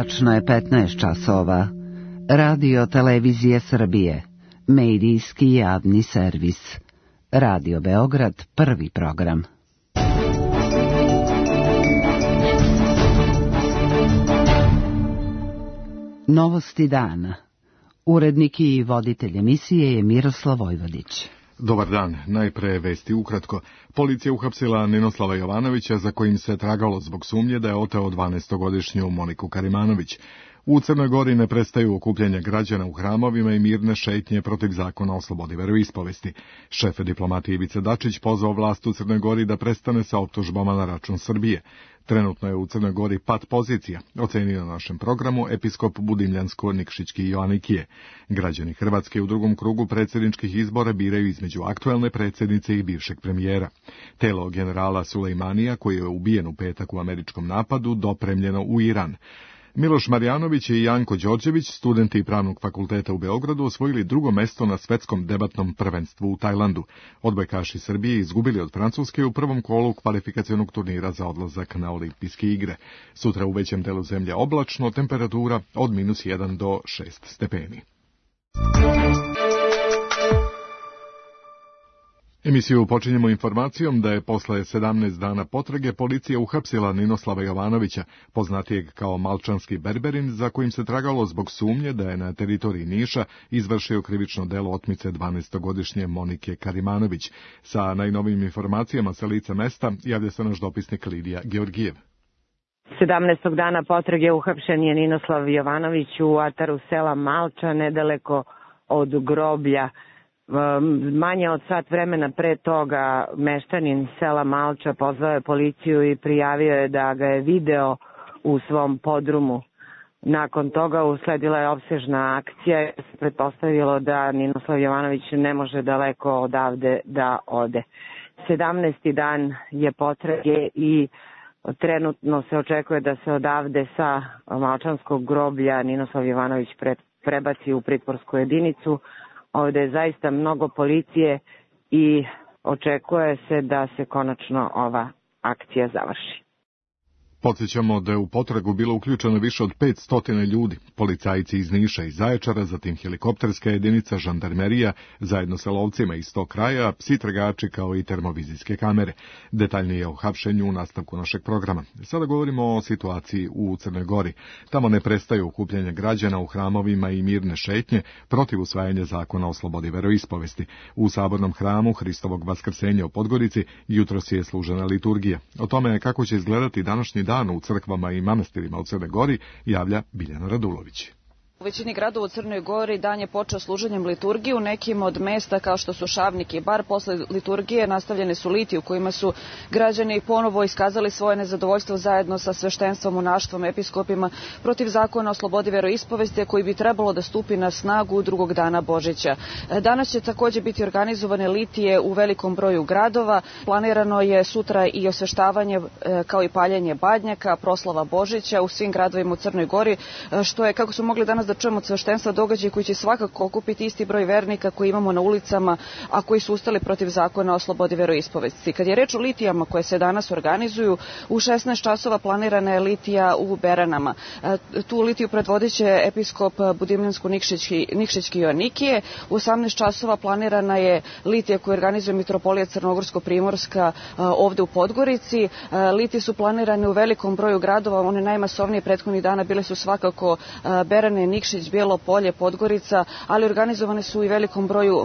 Tačno je 15 časova. Radio Televizije Srbije. Medijski javni servis. Radio Beograd, prvi program. Novosti dana. Urednik i voditelj emisije je Miroslav Vojvodić. Dobar dan, najpre vesti ukratko. Policija uhapsila Ninoslava Jovanovića, za kojim se tragalo zbog sumnje da je oteo 12-godišnju Moniku Karimanović. U Crnoj Gori ne prestaju okupljanja građana u hramovima i mirne šetnje protiv zakona o slobodi veroispovesti. Šef diplomatije Ivica Dačić pozvao vlast u Crnoj Gori da prestane sa optužbama na račun Srbije. Trenutno je u Crnoj Gori pad pozicija, ocenio na našem programu episkop Budimljansko-Nikšićki Joanikije. Građani Hrvatske u drugom krugu predsjedničkih izbora biraju između aktuelne predsjednice i bivšeg premijera. Telo generala Sulejmanija, koji je ubijen u petak u američkom napadu, dopremljeno u Iran. Miloš Marjanović i Janko Đorđević, studenti Pravnog fakulteta u Beogradu, osvojili drugo mesto na svetskom debatnom prvenstvu u Tajlandu. Odbojkaši Srbije izgubili od Francuske u prvom kolu kvalifikacionog turnira za odlazak na olimpijske igre. Sutra u većem delu zemlje oblačno, temperatura od -1 do 6 stepeni. Emisiju počinjemo informacijom da je posle 17 dana potrage policija uhapsila Ninoslava Jovanovića, poznatijeg kao Malčanski Berberin, za kojim se tragalo zbog sumnje da je na teritoriji Niša izvršio krivično delo otmice 12-godišnje Monike Karimanović. Sa najnovijim informacijama sa lica mesta javlja se naš dopisnik Lidija Georgijev. 17. dana potrage uhapšen je Ninoslav Jovanović u ataru sela Malča, nedaleko od groblja. Manje od sat vremena pre toga meštanin sela Malča pozvao je policiju i prijavio je da ga je video u svom podrumu. Nakon toga usledila je opsežna akcija i se pretpostavilo da Ninoslav Jovanović ne može daleko odavde da ode. 17. dan je potrage i trenutno se očekuje da se odavde sa Malčanskog groblja Ninoslav Jovanović prebaci u pritvorsku jedinicu. Ovde je zaista mnogo policije i očekuje se da se konačno ova akcija završi. Podsjećamo da je u potragu bilo uključeno više od 500 ljudi, policajci iz Niša i Zaječara, zatim helikopterska jedinica, žandarmerija, zajedno sa lovcima iz tog kraja, psi tragači kao i termovizijske kamere. Detaljnije o hapšenju u nastavku našeg programa. Sada govorimo o situaciji u Crnoj Gori. Tamo ne prestaju okupljanja građana u hramovima i mirne šetnje protiv usvajanja zakona o slobodi veroispovesti. U sabornom hramu Hristovog vaskrsenja u Podgorici jutros je služena liturgija. O tome kako će izgledati današnji dan u crkvama i manastirima u Crnoj Gori javlja Biljana Radulović. U većini gradova u Crnoj Gori dan je počeo služenjem liturgije. U nekim od mesta kao što su Šavnik i Bar, posle liturgije nastavljene su litije u kojima su građani ponovo iskazali svoje nezadovoljstvo zajedno sa sveštenstvom, monaštvom, episkopima protiv zakona o slobodi veroispovesti koji bi trebalo da stupi na snagu drugog dana Božića. Danas će takođe biti organizovane litije u velikom broju gradova. Planirano je sutra i osveštavanje kao i paljenje badnjaka, proslava Božića u svim gradovima u Crnoj Gori, što je, kako smo mogli danas da čujemo od sveštenstva, događaj koji će svakako okupiti isti broj vernika koji imamo na ulicama, a koji su ustali protiv zakona o slobodi veroispovesti. Kad je reč o litijama koje se danas organizuju, u 16 časova planirana je litija u Beranama. Tu litiju predvodiće episkop Budimljansko-Nikšićki Joanikije. U 18 časova planirana je litija koju organizuje mitropolija Crnogorsko-Primorska ovde u Podgorici. Litije su planirane u velikom broju gradova, one najmasovnije prethodnih dana bile su svakako Berane, Nikšić, Bijelo Polje, Podgorica, ali organizovane su i velikom broju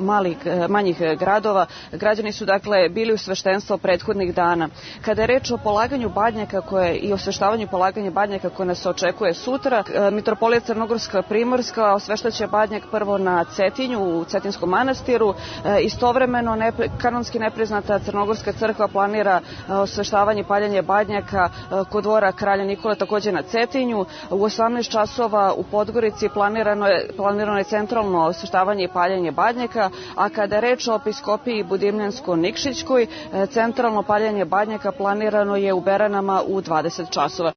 manjih gradova. Građani su dakle bili u sveštenstvo prethodnih dana. Kada je reč o polaganju badnjaka i osveštavanju polaganja badnjaka koje nas očekuje sutra, mitropolija Crnogorska Primorska osveštaće badnjak prvo na Cetinju, u Cetinskom manastiru. Istovremeno kanonski nepriznata Crnogorska crkva planira osveštavanje i paljenje badnjaka kod dvora kralja Nikole, takođe na Cetinju. U 18 časova u Podgorici planirano je centralno osveštavanje i paljenje badnjaka, a kada je reč o episkopiji Budimljansko-Nikšićkoj, centralno paljenje badnjaka planirano je u Beranama u 20 časova.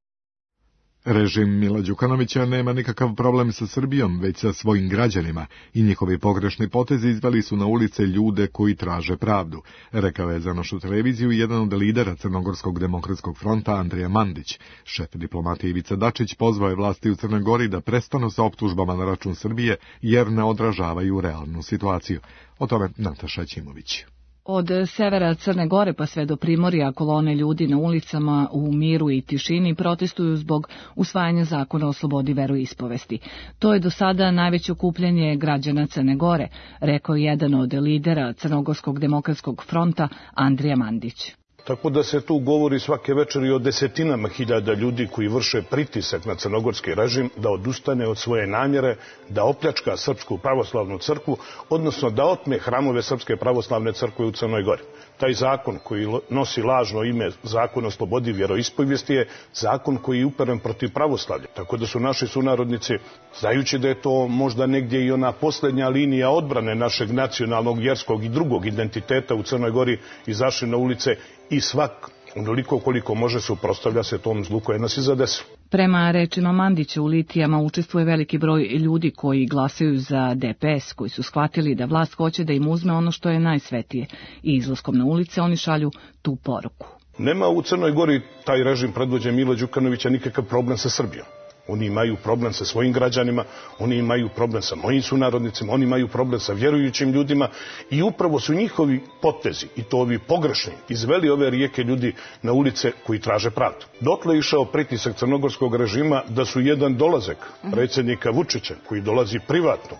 Režim Mila Đukanovića nema nikakav problem sa Srbijom, već sa svojim građanima i njihovi pogrešni potezi izveli su na ulice ljude koji traže pravdu, rekao je za našu televiziju jedan od lidera Crnogorskog demokratskog fronta Andrija Mandić. Šef diplomatije Ivica Dačić pozvao je vlasti u Crnoj Gori da prestanu sa optužbama na račun Srbije jer ne odražavaju realnu situaciju. O tome Nataša Ćimović. Od severa Crne Gore pa sve do Primorja kolone ljudi na ulicama u miru i tišini protestuju zbog usvajanja zakona o slobodi veroispovesti. To je do sada najveće okupljanje građana Crne Gore, rekao je jedan od lidera Crnogorskog demokratskog fronta Andrija Mandić. Tako da se tu govori svake večeri o desetinama hiljada ljudi koji vrše pritisak na crnogorski režim da odustane od svoje namjere, da opljačka Srpsku pravoslavnu crkvu, odnosno da otme hramove Srpske pravoslavne crkve u Crnoj Gori. Taj zakon koji nosi lažno ime Zakon o slobodi vjeroispovijesti je zakon koji je uperen protiv pravoslavlja. Tako da su naši sunarodnici, znajući da je to možda negdje i ona posljednja linija odbrane našeg nacionalnog, vjerskog i drugog identiteta u Crnoj Gori, izašli na ulice i svak onoliko koliko može suprotstavlja se tom zlu koje nas i zadesilo. Prema rečima Mandića, u litijama učestvuje veliki broj ljudi koji glasaju za DPS, koji su shvatili da vlast hoće da im uzme ono što je najsvetije i izlaskom na ulice oni šalju tu poruku. Nema u Crnoj Gori taj režim predvođen Mila Đukanovića nikakav problem sa Srbijom. Oni imaju problem sa svojim građanima, oni imaju problem sa mojim sunarodnicima, oni imaju problem sa vjerujućim ljudima i upravo su njihovi potezi, i to ovi pogrešni, izveli ove rijeke ljudi na ulice koji traže pravdu. Dotle je išao pritisak crnogorskog režima da su jedan dolazak predsjednika Vučića, koji dolazi privatno,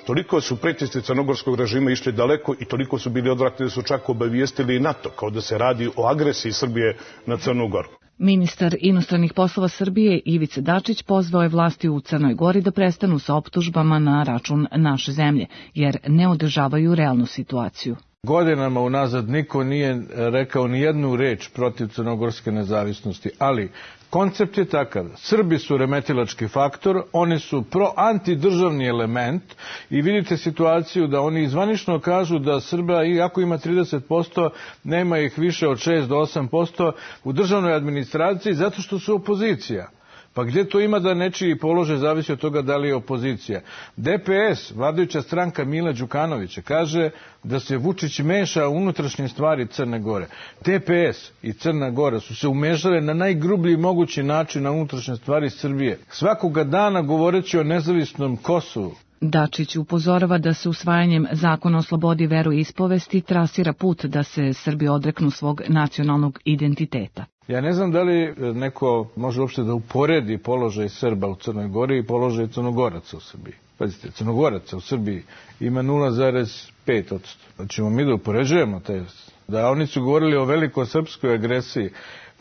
toliko su pritisci crnogorskog režima išli daleko i toliko su bili odvratni da su čak obavijestili i NATO, kao da se radi o agresiji Srbije na Crnu Goru. Ministar inostranih poslova Srbije Ivica Dačić pozvao je vlasti u Crnoj Gori da prestanu sa optužbama na račun naše zemlje, jer ne održavaju realnu situaciju. Godinama unazad niko nije rekao ni jednu reč protiv crnogorske nezavisnosti, ali koncept je takav. Srbi su remetilački faktor, oni su antidržavni element i vidite situaciju da oni zvanično kažu da Srba, iako ima 30%, nema ih više od 6 do 8% u državnoj administraciji zato što su opozicija. Pa gdje to ima da nečiji položaj zavisi od toga da li je opozicija? DPS, vladajuća stranka Mila Đukanovića, kaže da se Vučić meša u unutrašnje stvari Crne Gore. DPS i Crna Gora su se umešale na najgrublji mogući način na unutrašnje stvari Srbije. Svakoga dana govoreći o nezavisnom Kosovu. Dačić upozorava da se usvajanjem zakona o slobodi veroispovesti trasira put da se Srbi odreknu svog nacionalnog identiteta. Ja ne znam da li neko može uopšte da uporedi položaj Srba u Crnoj Gori i položaj Crnogoraca u Srbiji. Pazite, Crnogoraca u Srbiji ima 0,5%. Hoćemo mi da upoređujemo te, da oni su govorili o velikosrpskoj agresiji.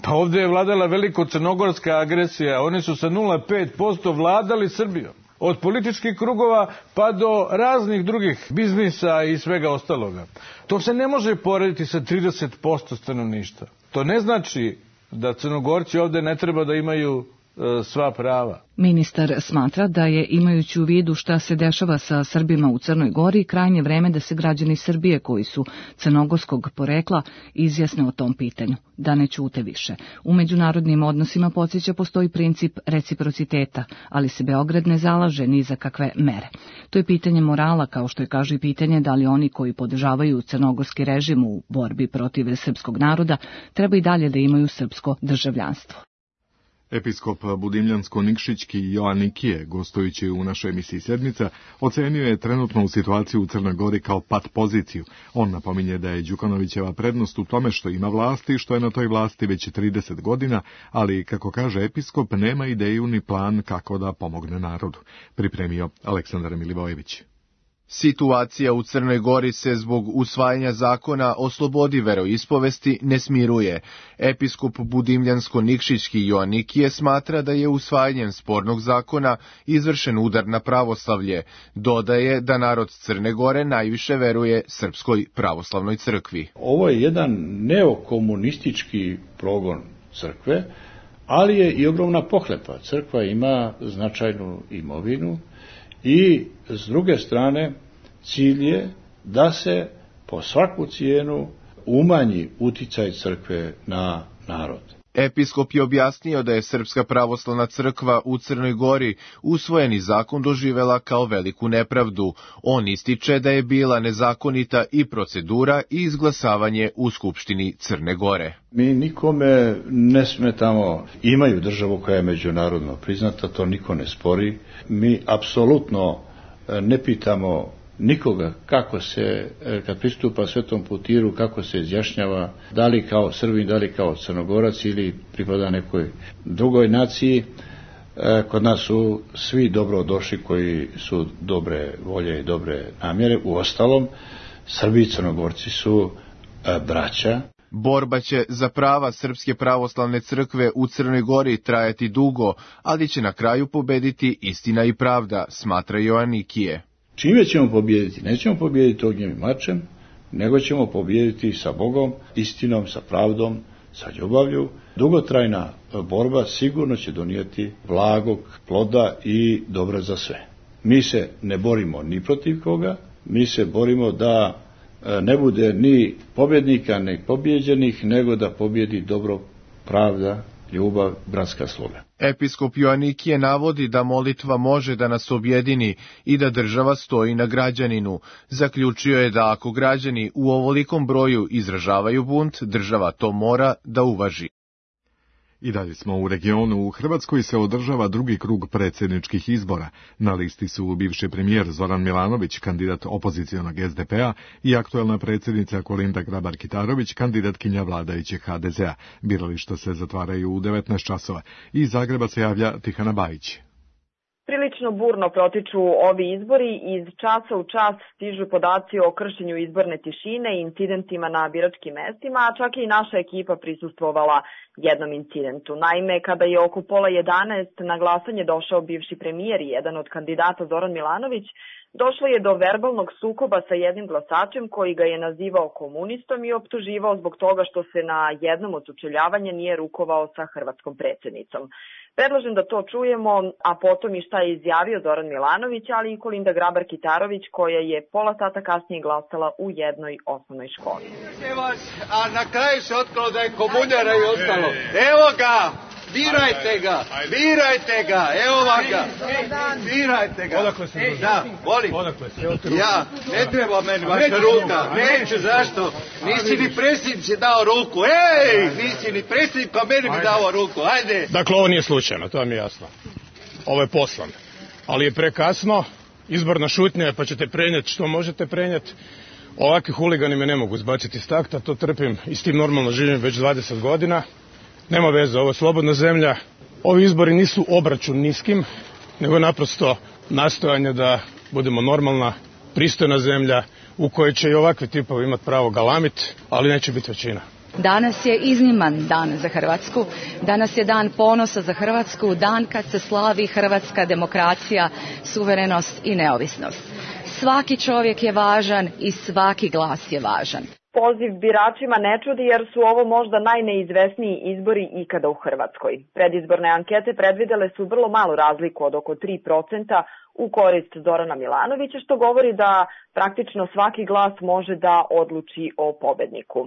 Pa ovdje je vladala veliko-crnogorska agresija, oni su sa 0,5% vladali Srbijom. Od političkih krugova pa do raznih drugih biznisa i svega ostaloga. To se ne može porediti sa 30% stanovništva. To ne znači da Crnogorci ovdje ne treba da imaju sva prava. Ministar smatra da je, imajući u vidu šta se dešava sa Srbima u Crnoj Gori, krajnje vreme da se građani Srbije koji su crnogorskog porekla izjasne o tom pitanju, da ne ćute više. U međunarodnim odnosima, podsjeća, postoji princip reciprociteta, ali se Beograd ne zalaže ni za kakve mere. To je pitanje morala, kao što je, kaže, i pitanje da li oni koji podržavaju crnogorski režim u borbi protiv srpskog naroda treba i dalje da imaju srpsko državljanstvo. Episkop Budimljansko-Nikšićki Joan Nikije, gostujući u našoj emisiji Sedmica, ocenio je trenutnu situaciju u Crnoj Gori kao pat poziciju. On napominje da je Đukanovićeva prednost u tome što ima vlasti i što je na toj vlasti već 30 godina, ali, kako kaže episkop, nema ideju ni plan kako da pomogne narodu. Pripremio Aleksandar Milivojević. Situacija u Crnoj Gori se zbog usvajanja zakona o slobodi veroispovesti ne smiruje. Episkop Budimljansko-Nikšićki Joanikije smatra da je usvajanjem spornog zakona izvršen udar na pravoslavlje. Dodaje da narod Crne Gore najviše veruje Srpskoj pravoslavnoj crkvi. Ovo je jedan neokomunistički progon crkve, ali je i ogromna pohlepa. Crkva ima značajnu imovinu, i s druge strane cilj je da se po svaku cijenu umanji uticaj crkve na narod. Episkop je objasnio da je Srpska pravoslavna crkva u Crnoj Gori usvojeni zakon doživela kao veliku nepravdu. On ističe da je bila nezakonita i procedura i izglasavanje u Skupštini Crne Gore. Mi nikome ne smetamo, imaju državu koja je međunarodno priznata, to niko ne spori. Mi apsolutno ne pitamo nikoga kako se, kad pristupa Svetom Putiru, kako se izjašnjava, da li kao Srbin, da li kao Crnogorac ili pripada nekoj drugoj naciji. Kod nas su svi dobro došli koji su dobre volje i dobre namjere. Uostalom, Srbi i Crnogorci su braća. Borba će za prava Srpske pravoslavne crkve u Crnoj Gori trajati dugo, ali će na kraju pobediti istina i pravda, smatra Joannikije. Čime ćemo pobijediti? Nećemo pobijediti ognjem i mačem, nego ćemo pobijediti sa Bogom, istinom, sa pravdom, sa ljubavlju. Dugotrajna borba sigurno će donijeti blagog ploda i dobra za sve. Mi se ne borimo ni protiv koga, mi se borimo da ne bude ni pobjednika, ni pobjeđenih, nego da pobjedi dobro, pravda, ljubav, bratska sloga. Episkop Joannikije navodi da molitva može da nas objedini i da država stoji na građaninu. Zaključio je da ako građani u ovolikom broju izražavaju bunt, država to mora da uvaži. I dalje smo u regionu. U Hrvatskoj se održava drugi krug predsjedničkih izbora. Na listi su bivši premijer Zoran Milanović, kandidat opozicionog SDP-a, i aktuelna predsjednica Kolinda Grabar-Kitarović, kandidatkinja vladajućeg HDZ-a. Birališta se zatvaraju u 19 časova. Iz Zagreba se javlja Tihana Bajić. Prilično burno protiču ovi izbori i iz časa u čas stižu podaci o kršenju izborne tišine i incidentima na biračkim mestima, a čak i naša ekipa prisustvovala jednom incidentu. Naime, kada je oko 10:30 na glasanje došao bivši premijer i jedan od kandidata Zoran Milanović, došlo je do verbalnog sukoba sa jednim glasačem koji ga je nazivao komunistom i optuživao zbog toga što se na jednom od sučeljavanja nije rukovao sa hrvatskom predsjednicom. Predlažem da to čujemo, a potom i šta je izjavio Zoran Milanović, ali i Kolinda Grabar-Kitarović, koja je pola sata kasnije glasala u jednoj osnovnoj školi. A na kraju se otkrilo da je komunjara i ostalo. Evo ga! Birajte ga, evo ga, birajte ga. Odakle se dođe? Da, volim. Ja, ne treba meni vaša ruka, neću, zašto? Nisi ni predsjednici dao ruku, nisi ni predsjednik, pa meni bi dao ruku, ajde. Dakle, ovo nije slučajno, to vam je jasno. Ovo je poslan, ali je prekasno, izborna šutnja je, pa ćete prenijeti što možete prenijeti. Ovakvi huligani me ne mogu zbaciti iz takta, to trpim i s tim normalno živim već 20 godina. Nema veze, ovo je slobodna zemlja. Ovi izbori nisu obračun niskim, nego naprosto nastojanje da budemo normalna, pristojna zemlja u kojoj će i ovakvi tipovi imati pravo galamit, ali neće biti većina. Danas je izniman dan za Hrvatsku, danas je dan ponosa za Hrvatsku, dan kad se slavi hrvatska demokracija, suverenost i neovisnost. Svaki čovjek je važan i svaki glas je važan. Poziv biračima ne čudi jer su ovo možda najneizvesniji izbori ikada u Hrvatskoj. Predizborne ankete predvidele su vrlo malu razliku od oko 3% u korist Zorana Milanovića, što govori da praktično svaki glas može da odluči o pobedniku.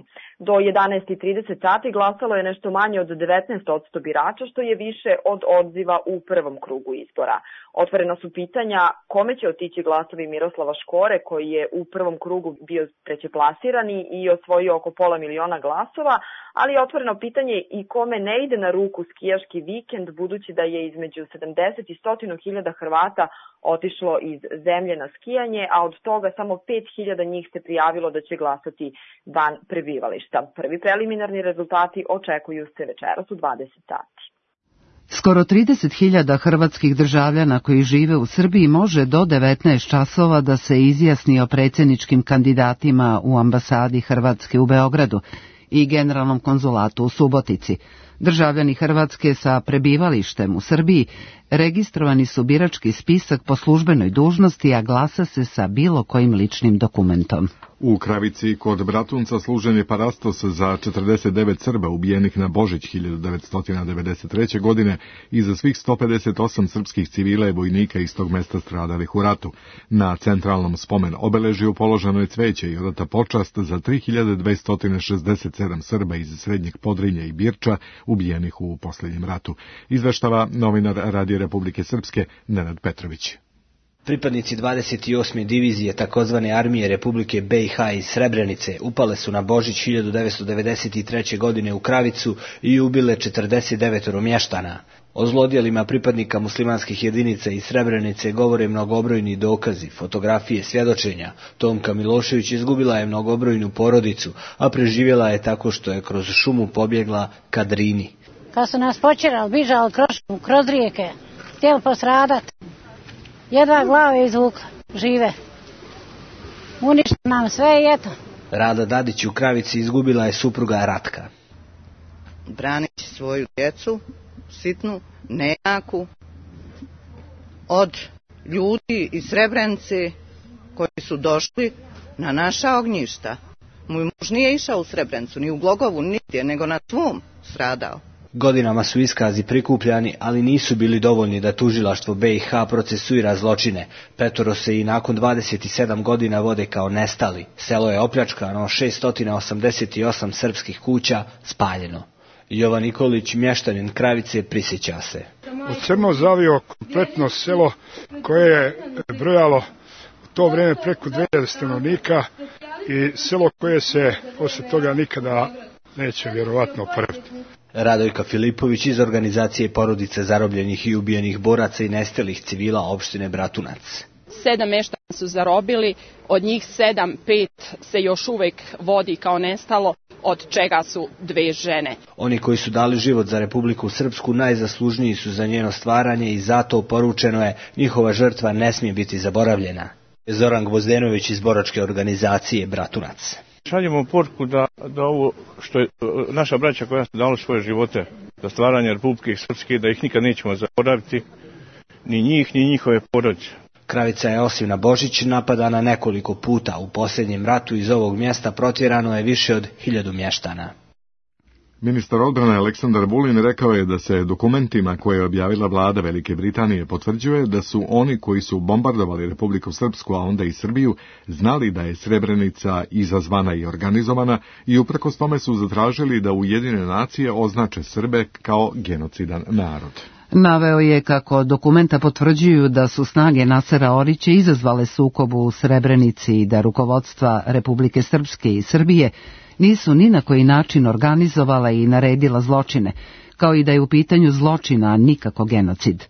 Do 11:30 sati glasalo je nešto manje od 19% birača, što je više od odziva u prvom krugu izbora. Otvorena su pitanja kome će otići glasovi Miroslava Škore, koji je u prvom krugu bio trećeplasirani i osvojio oko 500.000 glasova, ali je otvoreno pitanje i kome ne ide na ruku skijaški vikend, budući da je između 70 i 100.000 Hrvata otišlo iz zemlje na skijanje, a od toga samo 5.000 njih se prijavilo da će glasati van prebivališta. Prvi preliminarni rezultati očekuju se večeras u 20 sati. Skoro 30.000 hrvatskih državljana koji žive u Srbiji može do 19 časova da se izjasni o predsjedničkim kandidatima u ambasadi Hrvatske u Beogradu i generalnom konzulatu u Subotici. Državljani Hrvatske sa prebivalištem u Srbiji registrovani su birački spisak po službenoj dužnosti, a glasa se sa bilo kojim ličnim dokumentom. U Kravici kod Bratunca služen je parastos za 49 Srba ubijenih na Božić 1993. godine i za svih 158 srpskih civila i vojnika iz tog mesta stradalih u ratu. Na centralnom spomen obeležju položeno je cveće i odata počast za 3267 Srba iz Srednjeg Podrinja i Birča ubijenih u posljednjem ratu. Izveštava novinar Radio Republike Srpske Nenad Petrović. Pripadnici 28. divizije takozvane armije Republike BiH iz Srebrenice upale su na Božić 1993. godine u Kravicu i ubile 49 mještana. O zlodjelima pripadnika muslimanskih jedinica iz Srebrenice govore mnogobrojni dokazi, fotografije, svjedočenja. Tomka Milošević izgubila je mnogobrojnu porodicu, a preživjela je tako što je kroz šumu pobjegla ka Drini. Kad su nas počerali, bižali kroz rijeke, htjeli posradati. Jedva glave izvukla, žive. Uništa nam sve i eto. Rada Dadić u Kravici izgubila je supruga Ratka. Branići svoju djecu, sitnu, nejaku, od ljudi iz Srebrenice koji su došli na naša ognjišta. Moj muž nije išao u Srebrenicu, ni u Glogovu, nigdje, nego na svom stradao. Godinama su iskazi prikupljani, ali nisu bili dovoljni da tužilaštvo BiH procesuira zločine. Petoro se i nakon 27 godina vode kao nestali. Selo je opljačkano, 688 srpskih kuća spaljeno. Jovan Nikolić, mještanin Kravice, prisjeća se. U crno zavio kompletno selo koje je brojalo u to vrijeme preko 2000 stanovnika i selo koje se poslije toga nikada neće vjerovatno oporaviti. Radojka Filipović iz organizacije Porodice zarobljenih i ubijenih boraca i nestalih civila opštine Bratunac. 7 meštana su zarobili, od njih 5 se još uvijek vodi kao nestalo, od čega su 2 žene. Oni koji su dali život za Republiku Srpsku najzaslužniji su za njeno stvaranje i zato poručeno je njihova žrtva ne smije biti zaboravljena. Zoran Gvozdenović iz boračke organizacije Bratunac. Šaljemo poruku da ovo što je naša braća koja su dala svoje živote za stvaranje Republike Srpske, da ih nikad nećemo zaboraviti, ni njih, ni njihove porodice. Kravica je osim na Božić napadana nekoliko puta. U posljednjem ratu iz ovog mjesta protjerano je više od 1000 mještana. Ministar odbrane Aleksandar Vulin rekao je da se dokumentima koje je objavila vlada Velike Britanije potvrđuje da su oni koji su bombardovali Republiku Srpsku, a onda i Srbiju, znali da je Srebrenica izazvana i organizovana i uprkos tome su zatražili da Ujedinjene nacije označe Srbe kao genocidan narod. Naveo je kako dokumenta potvrđuju da su snage Nasera Orića izazvale sukobu u Srebrenici i da rukovodstva Republike Srpske i Srbije nisu ni na koji način organizovala i naredila zločine, kao i da je u pitanju zločina, a nikako genocid.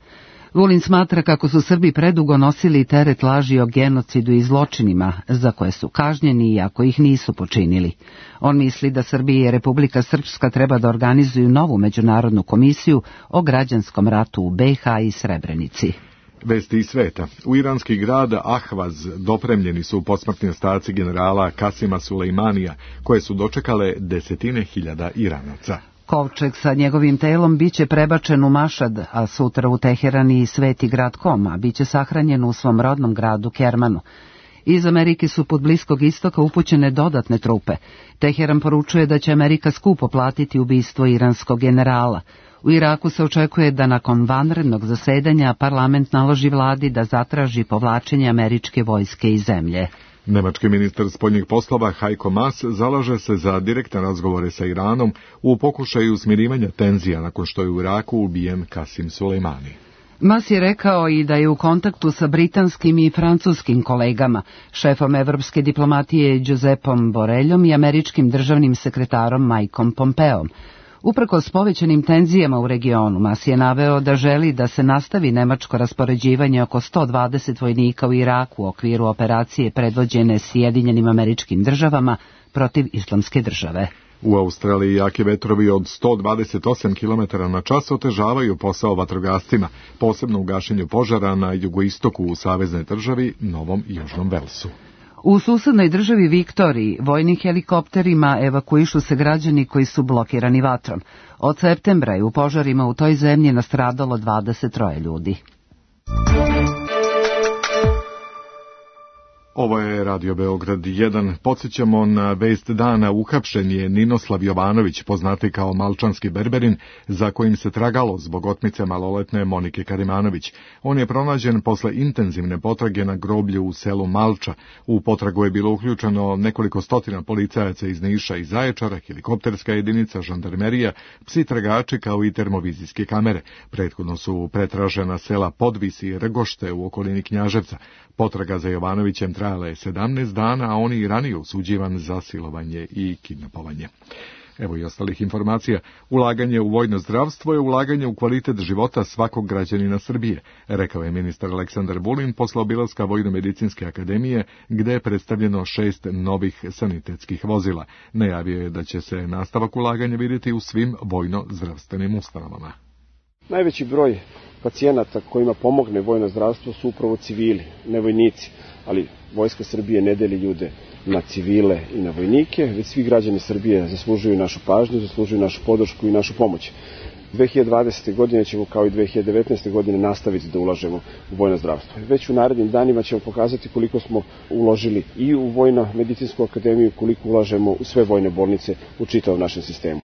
Vulin smatra kako su Srbi predugo nosili teret laži o genocidu i zločinima, za koje su kažnjeni iako ih nisu počinili. On misli da Srbija i Republika Srpska treba da organizuju novu međunarodnu komisiju o građanskom ratu u BiH i Srebrenici. Vesti iz sveta. U iranski grad Ahvaz dopremljeni su posmrtni ostaci generala Kasima Sulejmanija, koje su dočekale 10.000 Iranaca. Kovčeg sa njegovim telom biće prebačen u Mašad, a sutra u Teheran i Sveti grad Koma, biće sahranjen u svom rodnom gradu Kermanu. Iz Amerike su pod Bliskog istoka upućene dodatne trupe. Teheran poručuje da će Amerika skupo platiti ubistvo iranskog generala. U Iraku se očekuje da nakon vanrednog zasedanja parlament naloži vladi da zatraži povlačenje američke vojske iz zemlje. Nemački ministar spoljnih poslova Heiko Maas zalaže se za direktne razgovore sa Iranom u pokušaju smirivanja tenzija nakon što je u Iraku ubijen Kasim Sulejmani. Maas je rekao i da je u kontaktu sa britanskim i francuskim kolegama, šefom evropske diplomatije Josepom Boreljom i američkim državnim sekretarom Mikeom Pompeom. Uprkos povećanim tenzijama u regionu, Maas je naveo da želi da se nastavi nemačko raspoređivanje oko 120 vojnika u Iraku u okviru operacije predvođene Sjedinjenim Američkim Državama protiv Islamske države. U Australiji jaki vetrovi od 128 km/h otežavaju posao vatrogascima, posebno u gašenju požara na jugoistoku u saveznoj državi Novom Južnom Velsu. U susednoj državi Viktoriji vojnim helikopterima evakuišu se građani koji su blokirani vatrom. Od septembra je u požarima u toj zemlji nastradalo 23 ljudi. Ovo je Radio Beograd 1. Podsjećamo na vest dana. Uhapšen je Ninoslav Jovanović, poznati kao Malčanski berberin, za kojim se tragalo zbog otmice maloletne Monike Karimanović. On je pronađen posle intenzivne potrage na groblju u selu Malča. U potragu je bilo uključeno nekoliko stotina policajaca iz Niša i Zaječara, helikopterska jedinica, žandarmerija, psi tragači kao i termovizijske kamere. Prethodno su pretražena sela Podvis i Rgošte u okolini Knjaževca. Potraga za Jovanovićem trajala je 17 dana, a on je i ranije osuđivan za silovanje i kidnapovanje. Evo i ostalih informacija. Ulaganje u vojno zdravstvo je ulaganje u kvalitet života svakog građanina Srbije, rekao je ministar Aleksandar Vulin posle obilaska Vojno-medicinske akademije, gde je predstavljeno 6 novih sanitetskih vozila. Najavio je da će se nastavak ulaganja vidjeti u svim vojno-zdravstvenim ustanovama. Najveći broj pacijenata kojima pomogne vojno zdravstvo su upravo civili, ne vojnici, ali Vojska Srbije ne deli ljude na civile i na vojnike, već svi građani Srbije zaslužuju našu pažnju, zaslužuju našu podršku i našu pomoć. 2020. godine ćemo kao i 2019. godine nastaviti da ulažemo u vojno zdravstvo. Već u narednim danima ćemo pokazati koliko smo uložili i u Vojno-medicinsku akademiju, koliko ulažemo u sve vojne bolnice u čitavom našem sistemu.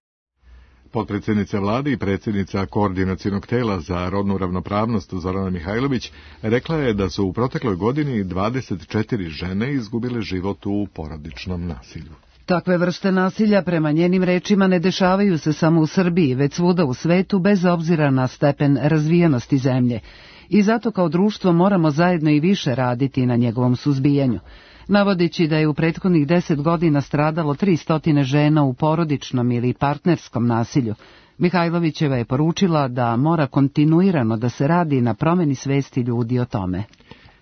Potpredsjednica vlade i predsjednica Koordinacionog tela za rodnu ravnopravnost Zorana Mihajlović rekla je da su u protekloj godini 24 žene izgubile život u porodičnom nasilju. Takve vrste nasilja prema njenim rečima ne dešavaju se samo u Srbiji, već svuda u svetu bez obzira na stepen razvijenosti zemlje. I zato kao društvo moramo zajedno i više raditi na njegovom suzbijanju. Navodeći da je u prethodnih 10 godina stradalo 300 žena u porodičnom ili partnerskom nasilju, Mihajlovićeva je poručila da mora kontinuirano da se radi na promeni svesti ljudi o tome.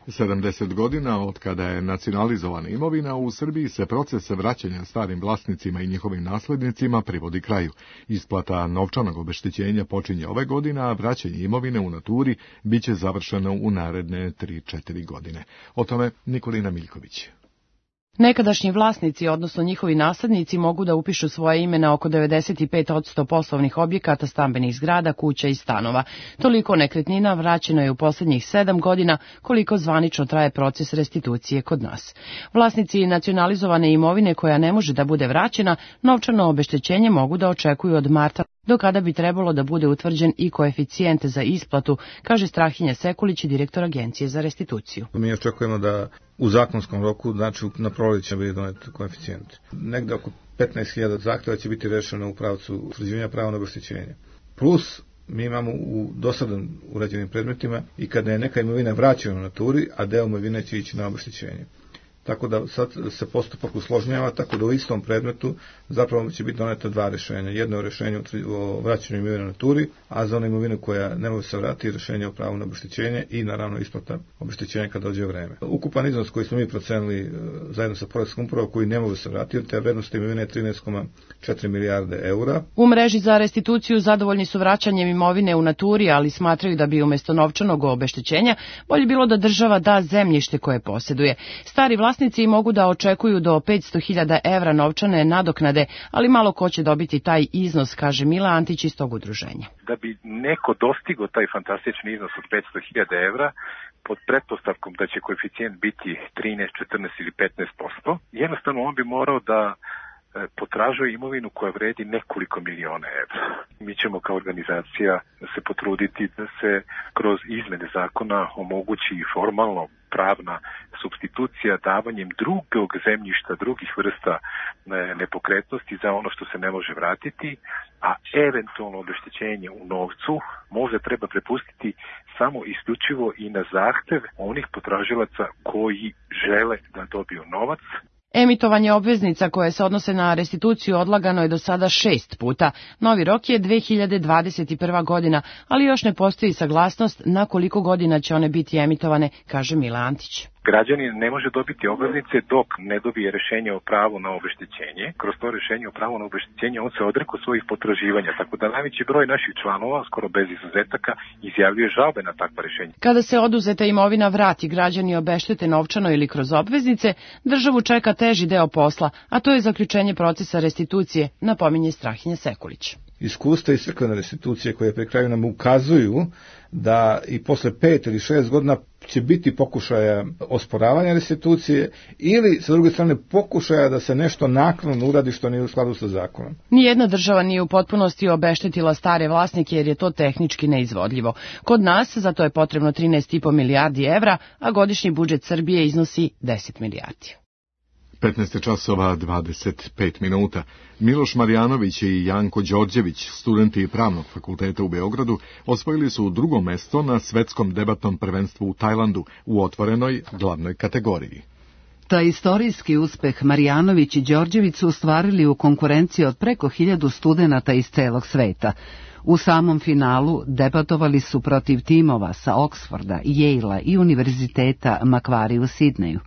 70 godina od kada je nacionalizovana imovina, u Srbiji se proces vraćanja starim vlasnicima i njihovim naslednicima privodi kraju. Isplata novčanog obeštećenja počinje ove godine, a vraćanje imovine u naturi biće završeno u naredne 3-4 godine. O tome Nikolina Miljković. Nekadašnji vlasnici, odnosno njihovi naslednici, mogu da upišu svoje ime na oko 95% poslovnih objekata, stambenih zgrada, kuća i stanova. Toliko nekretnina vraćeno je u posljednjih 7 godina, koliko zvanično traje proces restitucije kod nas. Vlasnici nacionalizovane imovine koja ne može da bude vraćena, novčano obeštećenje mogu da očekuju od marta, do kada bi trebalo da bude utvrđen i koeficijent za isplatu, kaže Strahinja Sekulić, direktor Agencije za restituciju. Mi očekujemo da u zakonskom roku, znači na proleće, bude donet koeficijent. Negde oko 15.000 zahtjeva će biti rešeno u pravcu utvrđivanja prava na obeštećenje. Plus, mi imamo u dosadan urađenim predmetima i kada je neka imovina vraćena u naturi, a deo imovine će ići na obeštećenje. Tako da sad se postupak usložnjava, tako da u istom predmetu zapravo će biti doneta 2 rešenja. Jedno je rešenje o vraćanju imovine na naturi, a za onu imovinu koja ne može se vratiti, rešenje o pravu na obeštećenje i naravno isplata obeštećenja kad dođe vreme. Ukupan iznos koji smo mi procenili zajedno sa Poreskom upravom koji ne može se vratiti, te vrednost imovine je 13,4 milijarde eura. U mreži za restituciju zadovoljni su vraćanjem imovine u naturi, ali smatraju da bi umjesto novčanog obeštećenja bolje bilo da država da zemljište koje posjeduje. Stari vlasnici mogu da očekuju do 500.000 evra novčane nadoknade, ali malo ko će dobiti taj iznos, kaže Mila Antić iz tog udruženja. Da bi neko dostigao taj fantastični iznos od 500.000 evra, pod pretpostavkom da će koeficijent biti 13, 14 ili 15%, jednostavno on bi morao da potražuje imovinu koja vredi nekoliko miliona evra. Mi ćemo kao organizacija se potruditi da se kroz izmene zakona omogući formalno pravna supstitucija davanjem drugog zemljišta, drugih vrsta nepokretnosti za ono što se ne može vratiti, a eventualno obeštećenje u novcu možda treba prepustiti samo isključivo i na zahtev onih potražilaca koji žele da dobiju novac. Emitovanje obveznica koje se odnose na restituciju odlagano je do sada 6 puta. Novi rok je 2021. godina, ali još ne postoji saglasnost na koliko godina će one biti emitovane, kaže Mila Antić. Građanin ne može dobiti obveznice dok ne dobije rješenje o pravu na obeštećenje. Kroz to rješenje o pravu na obeštećenje on se odrekao svojih potraživanja, tako da najveći broj naših članova, skoro bez izuzetaka, izjavljuje žalbe na takva rješenja. Kada se oduzeta imovina vrati, građani obeštete novčano ili kroz obveznice, državu čeka teži deo posla, a to je zaključenje procesa restitucije, napominje Strahinja Sekulić. Iskustva iz crkvene restitucije koje pri kraju nam ukazuju da i posle 5 ili 6 godina će biti pokušaja osporavanja restitucije ili, sa druge strane, pokušaja da se nešto naknadno uradi što nije u skladu sa zakonom. Nijedna država nije u potpunosti obeštetila stare vlasnike jer je to tehnički neizvodljivo. Kod nas za to je potrebno 13,5 milijardi evra, a godišnji budžet Srbije iznosi 10 milijardi. 15 časova 25 minuta. Miloš Marjanović i Janko Đorđević, studenti Pravnog fakulteta u Beogradu, osvojili su drugo mesto na svetskom debatnom prvenstvu u Tajlandu u otvorenoj glavnoj kategoriji. Taj istorijski uspeh Marjanović i Đorđević su ostvarili u konkurenciji od preko 1000 studenata iz celog sveta. U samom finalu debatovali su protiv timova sa Oksforda, Yale-a i Univerziteta Macquarie u Sidneju.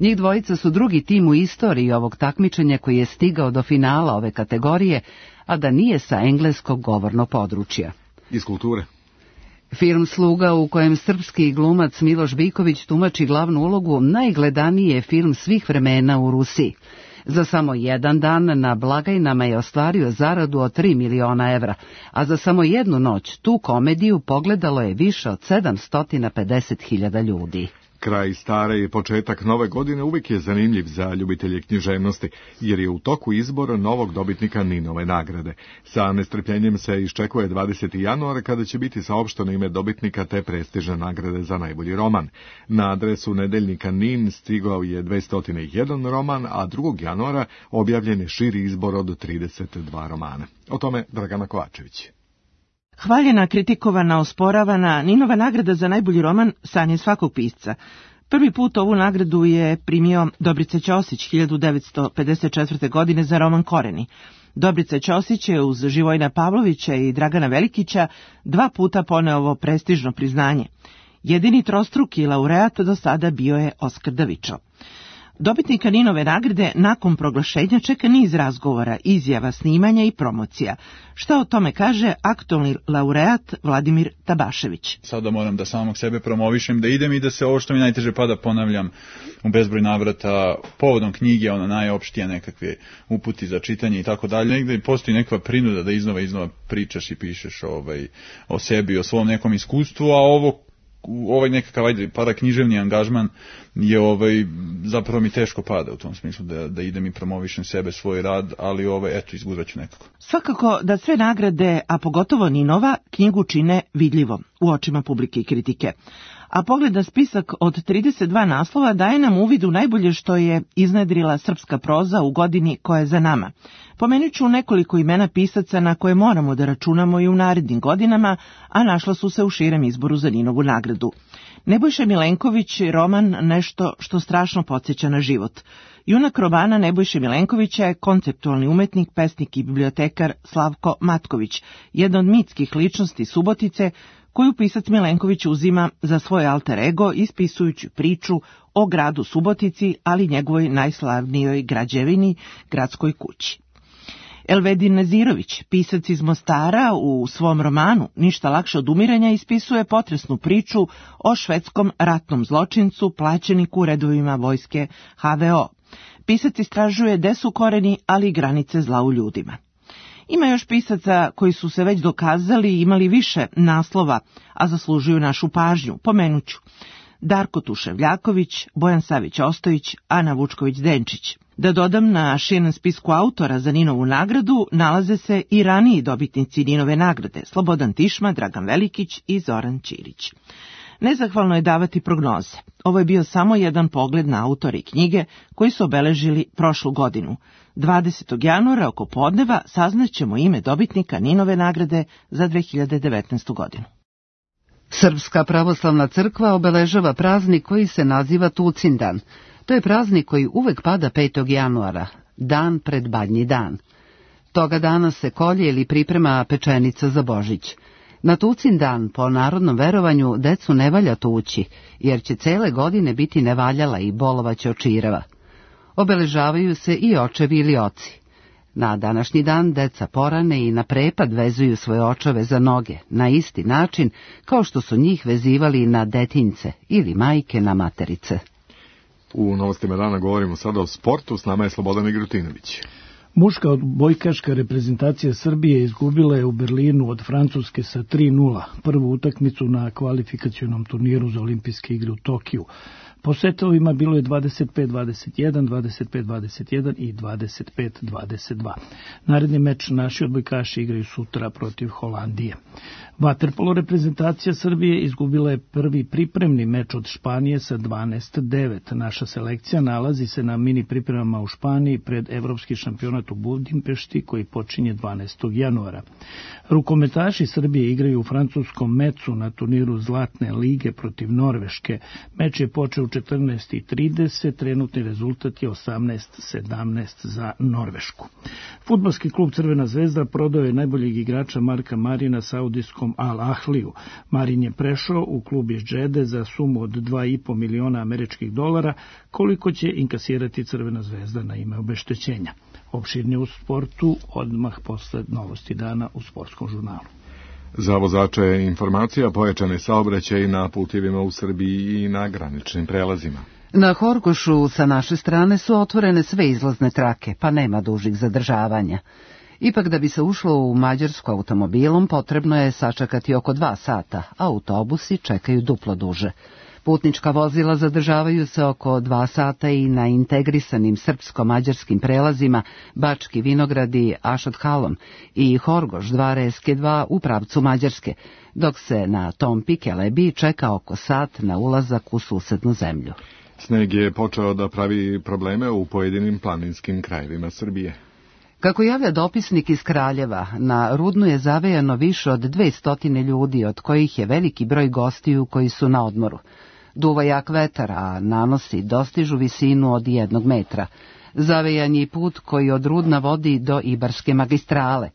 Njih dvojica su drugi tim u istoriji ovog takmičenja koji je stigao do finala ove kategorije, a da nije sa engleskog govornog područja. Iz kulture. Film Sluga, u kojem srpski glumac Miloš Biković tumači glavnu ulogu, najgledaniji je film svih vremena u Rusiji. Za samo jedan dan na blagajnama je ostvario zaradu od 3 miliona evra, a za samo jednu noć tu komediju pogledalo je više od 750.000 ljudi. Kraj stare i početak nove godine uvijek je zanimljiv za ljubitelje književnosti, jer je u toku izbora novog dobitnika Ninove nagrade. Sa nestrpljenjem se iščekuje 20. januara kada će biti saopšteno ime dobitnika te prestižne nagrade za najbolji roman. Na adresu nedeljnika Nin stigao je 201 roman, a 2. januara objavljen je širi izbor od 32 romana. O tome Dragana Kovačević. Hvaljena, kritikovana, osporavana, Ninova nagrada za najbolji roman san je svakog pisca. Prvi put ovu nagradu je primio Dobrica Ćosić 1954. godine za roman Koreni. Dobrica Ćosić je uz Živojina Pavlovića i Dragana Velikića 2 puta poneo ovo prestižno priznanje. Jedini trostruki laureat do sada bio je Oskar Davičo. Dobitnika Ninove nagrade nakon proglašenja čeka niz razgovora, izjava, snimanja i promocija. Šta o tome kaže aktualni laureat Vladimir Tabašević? Sada moram da samog sebe promovišem, da idem i da se ovo što mi najteže pada ponavljam u bezbroj navrata povodom knjige, ona najopštija nekakve uputi za čitanje i tako dalje. Negde postoji neka prinuda da iznova pričaš i pišeš o sebi, o svom nekom iskustvu, a ovaj nekakav paraknjiževni angažman je zapravo mi teško pada u tom smislu da idem i promovišem sebe, svoj rad, ali izguraću nekako. Svakako da sve nagrade, a pogotovo Ninova, knjigu čine vidljivom u očima publike i kritike. A pogled na spisak od 32 naslova daje nam uvid u najbolje što je iznedrila srpska proza u godini koja je za nama. Pomenut ću nekoliko imena pisaca na koje moramo da računamo i u narednim godinama, a našla su se u širem izboru za Ninovu nagradu. Nebojša Milenković je roman Nešto što strašno podsjeća na život. Junak romana Nebojše Milenkovića je konceptualni umetnik, pesnik i bibliotekar Slavko Matković, jedna od mitskih ličnosti Subotice, koju pisac Milenković uzima za svoj alter ego ispisujući priču o gradu Subotici, ali njegovoj najslavnijoj građevini, gradskoj kući. Elvedin Nezirović, pisac iz Mostara, u svom romanu Ništa lakše od umiranja ispisuje potresnu priču o švedskom ratnom zločincu, plaćeniku u redovima vojske HVO. Pisac istražuje gde su koreni, ali i granice zla u ljudima. Ima još pisaca koji su se već dokazali i imali više naslova, a zaslužuju našu pažnju. Pomenuću Darko Tuševljaković, Bojan Savić Ostojić, Ana Vučković-Denčić. Da dodam, na širem spisku autora za Ninovu nagradu nalaze se i raniji dobitnici Ninove nagrade, Slobodan Tišma, Dragan Velikić i Zoran Ćirić. Nezahvalno je davati prognoze. Ovo je bio samo jedan pogled na autore knjige koji su obeležili prošlu godinu. 20. januara oko podneva saznaćemo ime dobitnika Ninove nagrade za 2019. godinu. Srpska pravoslavna crkva obeležava praznik koji se naziva Tucindan. To je praznik koji uvek pada 5. januara, dan pred Badnji dan. Toga dana se kolje ili priprema pečenica za Božić. Na Tucin dan, po narodnom verovanju, decu ne valja tući, jer će cele godine biti nevaljala i bolovaće od čireva. Obeležavaju se i očevi ili oci. Na današnji dan deca porane i na prepad vezuju svoje očeve za noge, na isti način kao što su njih vezivali na detinjce ili majke na materice. U novostima dana govorimo sada o sportu, s nama je Slobodan Igrutinović. Muška odbojkaška reprezentacija Srbije izgubila je u Berlinu od Francuske sa 3:0 prvu utakmicu na kvalifikacionom turniru za olimpijske igre u Tokiju. Po setovima bilo je 25-21, 25-21 i 25-22. Naredni meč naši odbojkaši igraju sutra protiv Holandije. Vaterpolo reprezentacija Srbije izgubila je prvi pripremni meč od Španije sa 12:9. Naša selekcija nalazi se na mini pripremama u Španiji pred Evropski šampionat u Budimpešti koji počinje 12. januara. Rukometaši Srbije igraju u francuskom Mecu na turniru Zlatne lige protiv Norveške. Meč je počeo u 14:30, trenutni rezultat je 18:17 za Norvešku. Fudbalski klub Crvena zvezda prodao je najboljeg igrača Marka Marina saudijskom Al Ahliju. Marin je prešao u klub iz Džede za sumu od 2,5 miliona američkih dolara, koliko će inkasirati Crvena zvezda na ime obeštećenja. Opširnije u sportu odmah posle novosti dana u sportskom žurnalu. Za vozače je informacija pojačane saobraćaje na putevima u Srbiji i na graničnim prelazima. Na Horgošu sa naše strane su otvorene sve izlazne trake, pa nema dužih zadržavanja. Ipak da bi se ušlo u Mađarsku automobilom potrebno je sačekati oko 2 sata, a autobusi čekaju duplo duže. Putnička vozila zadržavaju se oko 2 sata i na integrisanim srpsko-mađarskim prelazima Bački Vinogradi, Ašot-Halom i Horgoš 2 u pravcu Mađarske, dok se na Tompi Kelebi čeka oko sat na ulazak u susednu zemlju. Sneg je počeo da pravi probleme u pojedinim planinskim krajevima Srbije. Kako javlja dopisnik iz Kraljeva, na Rudnu je zavejano više od 200 ljudi, od kojih je veliki broj gostiju koji su na odmoru. Duva jak vetar, a nanosi dostižu visinu od 1 metra. Zavejan je put koji od Rudna vodi do Ibarske magistrale.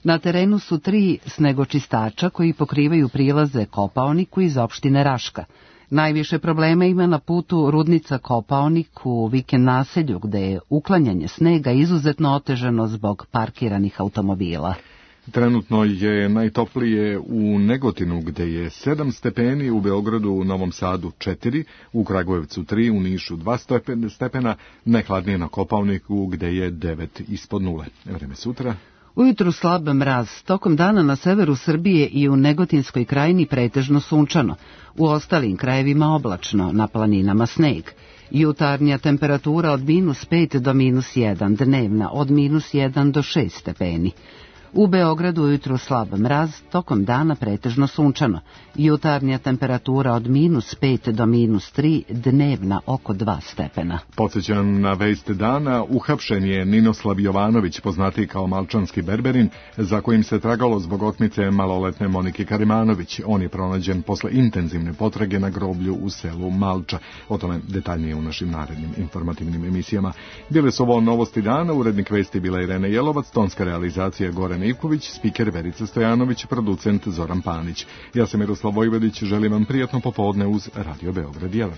Na terenu su 3 snegočistača koji pokrivaju prilaze Kopaoniku iz opštine Raška. Najviše problema ima na putu Rudnica-Kopaonik u vikend naselju, gde je uklanjanje snega izuzetno otežano zbog parkiranih automobila. Trenutno je najtoplije u Negotinu, gde je 7 stepeni, u Beogradu, u Novom Sadu 4, u Kragujevcu 3, u Nišu 2 stepena, najhladnije na Kopaoniku, gde je 9 ispod 0. Vreme sutra. Ujutru slab mraz, tokom dana na severu Srbije i u Negotinskoj krajini pretežno sunčano, u ostalim krajevima oblačno, na planinama sneg. Jutarnja temperatura od -5 do -1, dnevna od -1 do 6 stepeni. U Beogradu ujutru slab mraz, tokom dana pretežno sunčano. Jutarnja temperatura od -5 do -3, dnevna oko 2 stepena. Podsjećam na vest dana, uhapšen je Ninoslav Jovanović, poznatiji kao Malčanski berberin, za kojim se tragalo zbog otmice maloletne Monike Karimanović. On je pronađen posle intenzivne potrage na groblju u selu Malča. O tome detaljnije u našim narednim informativnim emisijama. Bile su ovo novosti dana, urednik vesti bila Irena Jelovac, tonska realizacija Goran Ivković, spiker Verica Stojanović, producent Zoran Panić. Ja sam Miroslav Vojvodić, želim vam prijatno popodne uz Radio Beograd 1.